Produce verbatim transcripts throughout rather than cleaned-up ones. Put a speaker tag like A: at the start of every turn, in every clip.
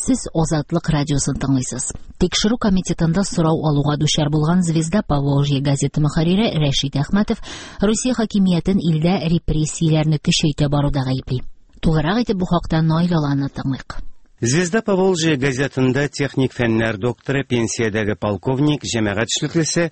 A: Сез Азатлык радиосын тыңлыйсыз. Тикшерү комитетында сорау алуга дучар булган «Звезда Поволжья» газеты мөхәррире Рәшит Әхмәтов Русия хакимиятен илдә репрессияләрне көчәйтә баруда гаепли. Тулырак итеп бу хакта Наил Аланны тыңлыйк.
B: «Звезда Поволжья» газетында техник фәннәр докторы, пенсиядәге полковник, җәмәгать эшлеклесе,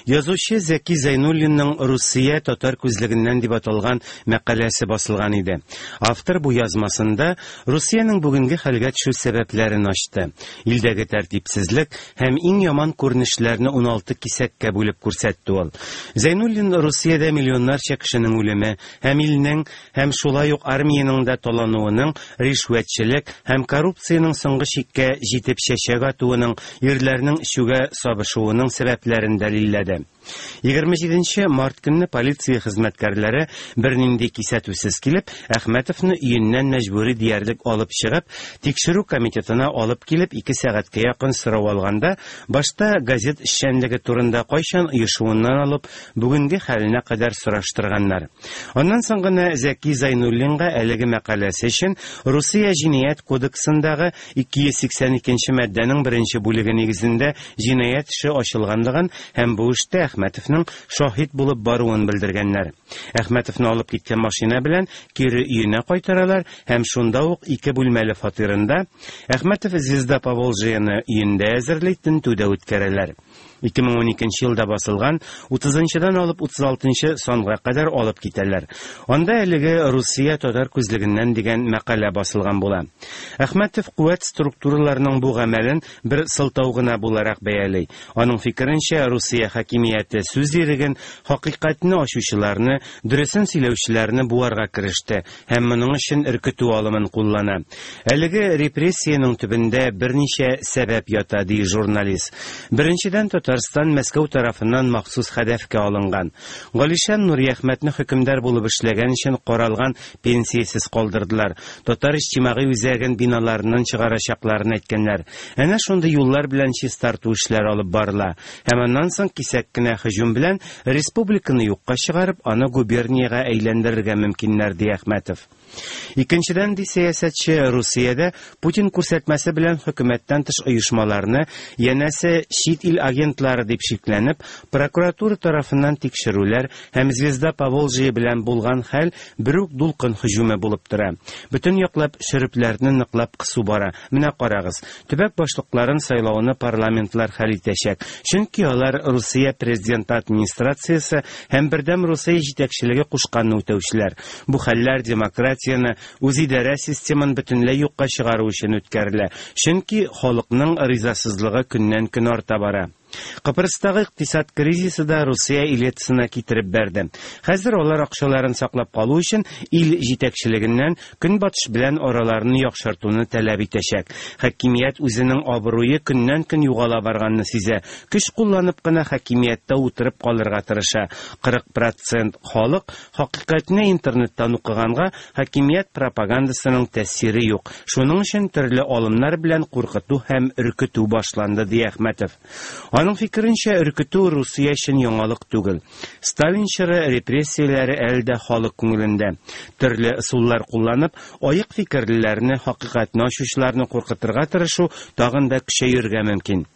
B: язучы Зәки Зәйнуллинның «Русия татар күзлегеннән» дип аталган мәкаләсе басылган иде. Автор бу язмасында Русиянең бүгенге хәлгә төшү сәбәпләрен ачты. Илдәге тәртипсезлек һәм иң яман күренешләрне уналты кисәккә бүлеп күрсәтте ул. Зәйнуллин Русиядә миллионнарча кешенең үлеме һәм илнең һәм шулай ук армиянең дә талануының, ришвәтчелек һәм коррупциянең соңгы чиккә җитеп чәчәк атуының, ирләрнең эчүгә сабышуының сәбәпләрен дәлилләде. Егерме җиденче март көнне полиция хезмәткәрләре бернинди кисәтүсез килеп, Әхмәтовны өеннән мәҗбүри диярлек алып чыгып, тикшерү комитетына алып килеп, ике сәгатькә якын сорау алганда, башта газет эшчәнлеге турында кайчан оешуыннан алып, бүгенге хәленә кадәр сораштырганнар. Аннан соң гына Зәки Зәйнуллинга әлеге мәкаләсе өчен Русия җинаять кодексындагы ике йөз сиксән икенче маддәнең беренче бүлеге нигезендә җинаять эше ачылганлыгын һәм бу эштә Әхмәтовның шаһит булып баруын белдергәннәр. Әхмәтовны алып киткән машина белән кире өенә кайтаралар һәм шунда ук ике бүлмәле фатирында Әхмәтов «Звезда Поволжьяны» өендә әзерли, тентү дә үткәрәләр. Ике мең уникенче елда басылган утызынчыдан алып утыз алтынчы санга кадәр алып китәләр. Анда әлеге «Русия татар күзлегеннән» дигән мәкалә басылган була. Әхмәтов куәт структураларының бу гамәлен бер сылтау гына буларак бәяли. Аның фикеренчә, Русия хакимияте сүз иреген, хакыйкатьне ачучыларны, дөресен сөйләүчеләрне буарга кереште һәм моның өчен өркетү алымын куллана. Әлеге репрессиянең төбендә берничә сәбәп ята, ди журналист. Беренчедән, Татарстан Мәскәү тарафыннан махсус хәдәфкә алынган. Галишан Нуриәхмәтне хөкемдар булып эшләгән өчен каралган пенсиясез калдырдылар. Татар иҗтимагый үзәген биналарыннан чыгарачакларын әйткәннәр. Әнә шундый юллар белән чистарту эшләре алып барыла. Һәм аннан соң кисәк кенә һөҗүм белән республиканы юкка чыгарып, аны губерниягә әйләндерергә мөмкиннәр, ди Әхмәтов. Икенчедән, ди сәясәтче, Русиядә Путин күрсәтмәсе белән хөкүмәттән тыш оешмаларны, янәсе чит ил агентлары дип шикләнеп, прокуратура тарафыннан тикшерүләр һәм «Звезда Поволжья» белән булган хәл бер үк дулкын һөҗүме булып тора. Бөтен яклап шөрепләрне ныклап кысу бара. Менә карагыз, төбәк башлыкларын сайлауны парламентлар хәл итәчәк. Чөнки алар Русия президенты администрациясе һәм Бердәм Русия җитәкчелеге кушканны үтәүчеләр. Бу хәлләр демократияне, үзидарә системын бөтенләй юкка чыгару өчен үткәрелә. Чөнки халыкның ризасызлыгы көннән-көн арта бара. Кыпрыстагы икътисад кризисы да Русия элитасына китереп бәрде. Хәзер алар акчаларын саклап калу өчен ил җитәкчелегеннән көнбатыш белән араларны яхшыртуны таләп итәчәк. Хакимият үзенең абруе көннән-көн югала барганны сизә. Көч кулланып кына хакимияттә утырып калырга тырыша. Кырык процент халык хакыйкатьне интернеттан укыганга хакимият пропагандасының тәэсире юк. Шуның өчен төрле алымнар белән куркыту һәм өркетү башланды, ди Әхмәтов. Аның фикеренчә, өркетү Русия өчен яңалык түгел. Сталин чоры репрессияләре әле дә халык күңелендә. Төрле ысуллар кулланып, аек фикерлеләрне, хакыйкатьне ачучыларны куркытырга тырышу тагын да көчәергә мөмкин.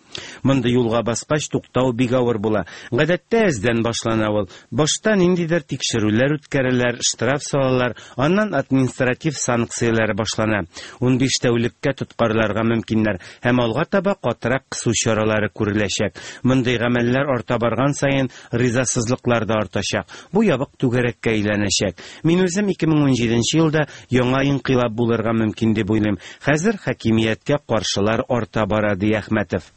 B: Мондый юлга баскач туктау бик авыр була. Гадәттә әздән башлана ул. Башта ниндидер тикшерүләр үткәрәләр, штраф салалар, аннан административ санкцияләр башлана. Унбиш тәүлеккә тоткарларга мөмкиннәр һәм алга таба катырак кысу чаралары күреләчәк. Мондый гамәлләр арта барган саен ризасызлыклар да артачак. Бу ябык түгәрәккә әйләнәчәк. Мин үзем ике мең унҗиденче елда яңа инкыйлаб булырга мөмкин дип уйлыйм. Хәзер хакимияткә каршылар арта бара, ди Әхмәтов.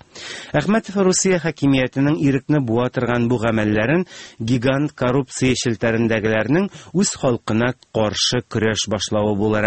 B: Әхмәтов Русия хакимиятенең ирекне буа торган бу гамәлләрен гигант коррупция челтәрендәгеләрнең үз халкына каршы көрәш башлавы буларак